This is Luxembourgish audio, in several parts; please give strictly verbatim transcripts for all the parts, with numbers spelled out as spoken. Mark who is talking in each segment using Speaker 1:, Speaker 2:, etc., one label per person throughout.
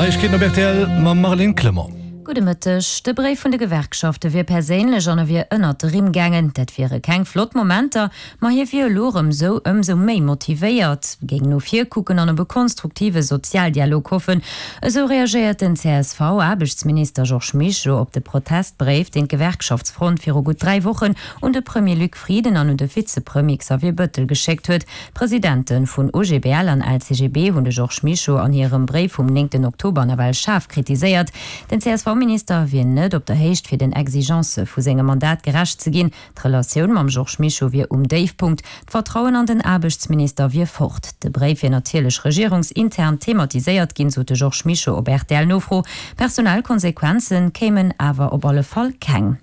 Speaker 1: Neiegkeeten op rtl mam Marlène Clement.
Speaker 2: Gudde Mëtteg. De Bréif vun de Gewerkschafte wier perséinlech an e wier ënnert de Rimm gaangen. Dat wiere keng flott Momenter, ma hie wier elo erëm sou ëmsou méi motivéiert, géing no vir kucken an op e konstruktive Sozialdialog hoffen. Esou reagéiert den C S V-Aarbechtsminister Georges Mischo op de Protestbréif, deen d'Gewerkschaftsfront viru gutt dräi Wochen un de Premier Luc Frieden an un de Vizepremier Xavier Bëttel geschéckt huet. D'Presidente vun O G B L an L C G B hunn de Georges Mischo an hirem Bréif vum néngten Oktober nawell schaarf kritiséiert. Den C S V-Minister wier net op der Héicht fir den Exigence vu sengem Mandat gerecht ze ginn. D'Relatioun mam Georges Mischo wier um Déifpunkt, d'Vertrauen an den Aarbechtsminister wier fort. De Bréif wier natierlech regierungsintern thematiséiert ginn, sot de Georges Mischo op R T L-Nofro. Personell Konsequenze kéimen awer op alle Fall keng.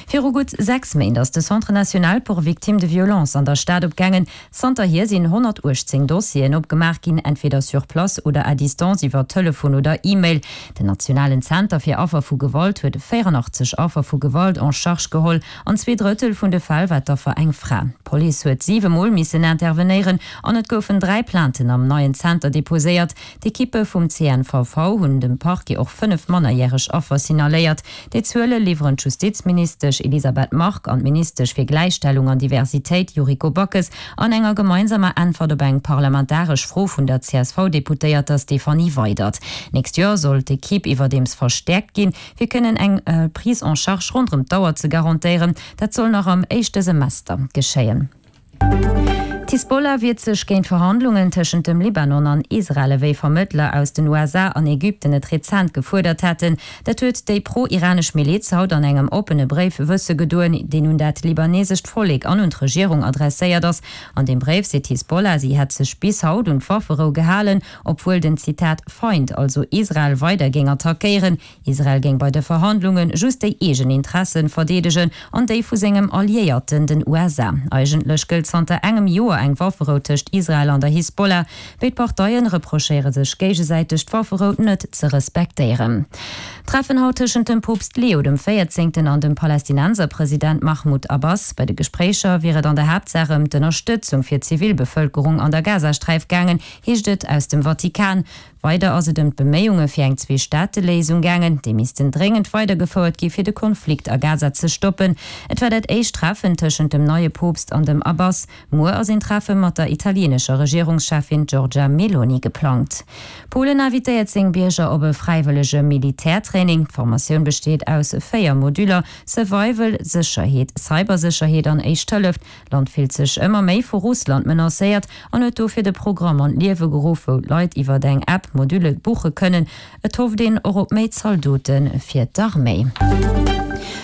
Speaker 2: Viru gutt sechs Méint ass de Centre national pour victimes de violences an der Stad opgaangen. Zanterhier sinn honnertuechtzéng Dossieren opgemaach ginn, entweder sur place oder à distance iwwer Telefon oder E-Mail. Den nationalen Zenter fir Affer vu Gewalt huet véieranachtzesch Affer vu Gewalt en charge geholl. An zwee Drëttel vun de Fäll war d'Affer eng Fra. D'Police huet siwe Mol missen intervenéieren an et goufen dräi Plainten am neien Zenter deposéiert. D'Ekippe vum C N V V hunn dem Parquet och fënnef mannerjäreg Affer signaléiert. Déi Zuele liwweren d'Justizministesch Elisabeth Margue an d'Ministesch fir Gläichstellung an Diversitéit Yuriko Backes an enger gemeinsamer Äntwert op eng parlamentaresch Fro vun der C S V-Deputéierter Stéphanie Weydert. Nächst Joer soll d'Ekipp iwwerdeems verstäerkt ginn, fir kënnen eng Prise en charge ronderëm d'Auer ze garantéieren. Dat soll nach am éischte Semester geschéien. D'Hisbollah wiert sech géint Verhandlungen tëschent dem Libanon an Israel, wéi Vermëttler aus den U S A an Ägypten et rezent gefuerdert hätten. Dat huet déi pro-iranesch Miliz haut an engem oppene Bréif wësse gedoen, deen un dat libanesescht Vollek an un d'Regierung adresséiert ass. An deem Bréif seet d'Hisbollah, si hätt sech bis haut un d'Wafferou gehalen, obwuel den Zitat Feind, also Israel, weider géing attackéieren. Israel géing bei de Verhandlunge just déi eegen Interessen verdeedegen an déi vu sengem Alliéierten, den U S A. Eigentlech gëllt zanter engem Joer eng Wafferou tëscht Israel an der Hisbollah. Béid Parteien reprochéiere sech géigesäiteg, d'Wafferou net ze respektéieren. Treffen haut tëschent dem Poopst Leo dem Véierzéngten an dem Palästinenserpresident Mahmoud Abbas. Bei de Gespréicher wier et an der Haaptsaach ëm d'Ënnerstëtzung fir d'Zivilbevëlkerung an der Gazasträif gaangen, heescht et aus dem Vatikan. Weider ass et ëm d'Beméiunge fir eng Zwee-Staate-Léisung gaangen, déi missten dréngend weidergefouert gi fir de Konflikt a Gaza ze stoppen. Et war dat éischt Treffen tëschent dem neie Poopst an dem Abbas. Muer ass een Treffe mat der italieenescher Regierungscheffin Giorgia Meloni geplangt. Polen invitéiert seng Bierger op e fräiwëllege Militärtraining. D'Formatioun besteet aus véier Moduler: Survival, Sécherheet, Cybersécherheet an Éischt Hëllef. D'Land fillt sech ëmmer méi vu Russland menacéiert an huet dofir de Programm an d'Liewe geruff, wou d'Leit iwwer eng App Module buche kënnen. Et hofft een och op méi Zaldote fir d'Arméi.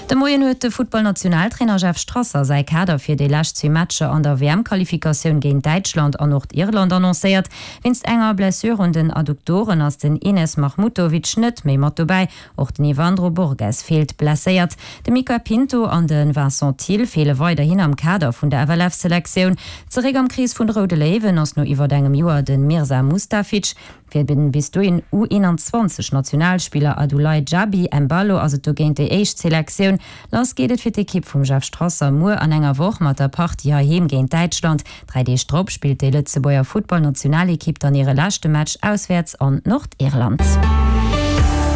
Speaker 2: De Moien huet de Futtballnationaltrainer Jeff Strasser säi Kader fir déi lescht zwee Matcher an der W M-Qualifikatioun géint Däitschland an Nordirland annoncéiert. Wéinst enger Blessure un den Adduktoren ass den Enes Mahmutovic net méi mat dobäi. Och den Yvandro Borges feelt blesséiert. De Mica Pinto an de Vincent Thill feele weiderhin am Kader vun der F L F-Selektioun. Zeréck am Krees vun de Roude Léiwen ass no iwwer engem Joer de Mirza Mustafic. Fir de bis dohin U eenanzwanzeg Nationalspiller Adulai Djabi Embalo ass et dogéint déi éischt Selektioun. Lass geet et fir d'Ekipp vum Jeff Strasser muer an enger Woch mat der Partie heiheem géint Däitschland. Dräi Deeg drop spillt déi Lëtzebuerger Futtballnationalekipp dann hire leschte Match auswäerts an Nordirland.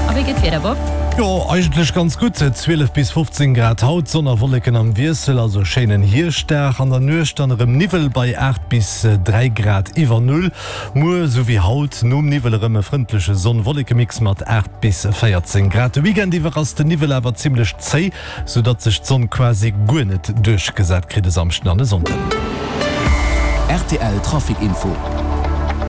Speaker 2: A wéi geet d'Wieder, Bob?
Speaker 1: Jo, eigentlech ganz gutt, zwielef bis fofzéng Grad haut, Sonn a Wolleken am Wiessel, also schéinen Hierschtdag. An der Nuecht dann erëm Niwwel bei aacht bis dräi Grad iwwer Null. Muer sou wéi haut nom Niwwel erëm e frëndleche Sonn-Wolleke-Mix mat aacht bis véierzéng Grad. De Weekend iwwer ass den Niwwel awer zimmlech zéi, sou datt sech d'Sonn quasi guer net duerchgesat kritt e Samschden an e Sonnden.
Speaker 3: R T L Trafic Info.